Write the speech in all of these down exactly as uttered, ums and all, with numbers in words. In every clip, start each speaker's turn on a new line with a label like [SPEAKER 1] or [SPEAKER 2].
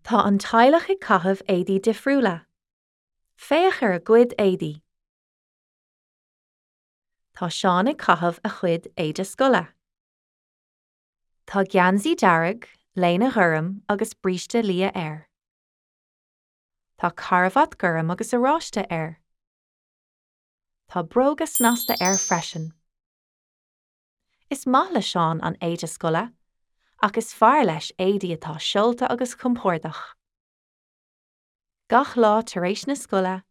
[SPEAKER 1] Tá an teaghlach ag caitheamh éadaí difriúla. Féach ar a gcuid éadaí. Tá Seán ag caitheamh a chuid éide scoile. Tá geansaí dearg, léine ghorm agus bríste liath air. Tá carbhat gorm agus oráiste air. Tá bróga snasta air freisin. Is maith le Seán an éide scoile, ach is fearr leis éadaí atá seolta agus compordach. Gach lá tar éis na scoile,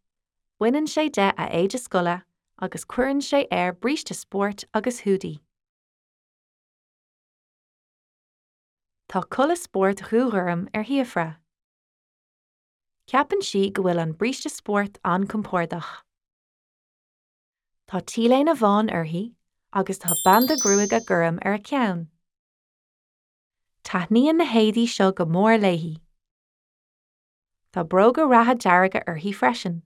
[SPEAKER 1] baineann sé de a éide scoile agus cuireann sé air bríste spóirt agus húdaí. Tá culaith spóirt dhúghorm ar Shíofra. Ceapann sí go bhfuil an bríste spóirt an-chompordach. Tá T-léine bhán uirthi agus tá banda gruaige gorm ar a ceann. Taitníonn na héadaí seo go mór léi. Tá bróga reatha dearga uirthi freisin.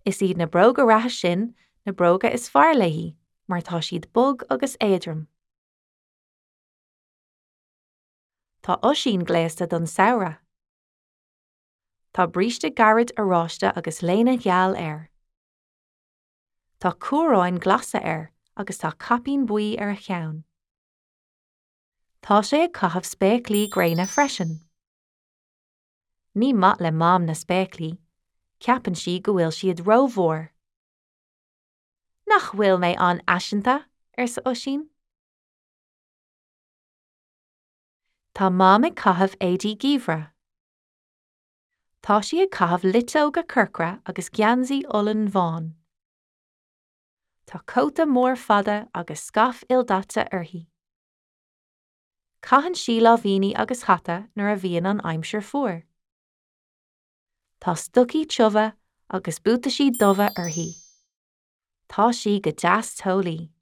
[SPEAKER 1] Is iad na bróga reatha sin na bróga is fearr léi mar tá siad bog agus éadrom. Tá Oisín gléasta don samhradh. Tá bríste gairid oráiste agus léine gheal air. Tá cuaráin glasa air agus tá caipín buí ar a cheann. Tá sé ag caitheamh spéaclaí gréine freisin. Ní maith le Mam na spéaclaí, ceapann sí go bhfuil siad rómhór. Nach bhfuil mé an-fhaiseanta, arsa Oisín. Tá Mam ag caitheamh éadaí geimhridh. Tá sí ag caitheamh luiteoga corcra agus geansaí olann bhán. Tá cóta mór fada agus scaif ildaite uirthi. Caitheann sí láimhíní agus hata nuair a bhíonn an aimsir fuar. Tá stocaí tiubha agus buataisí dubha uirthi. Tá sí go deas teolaí.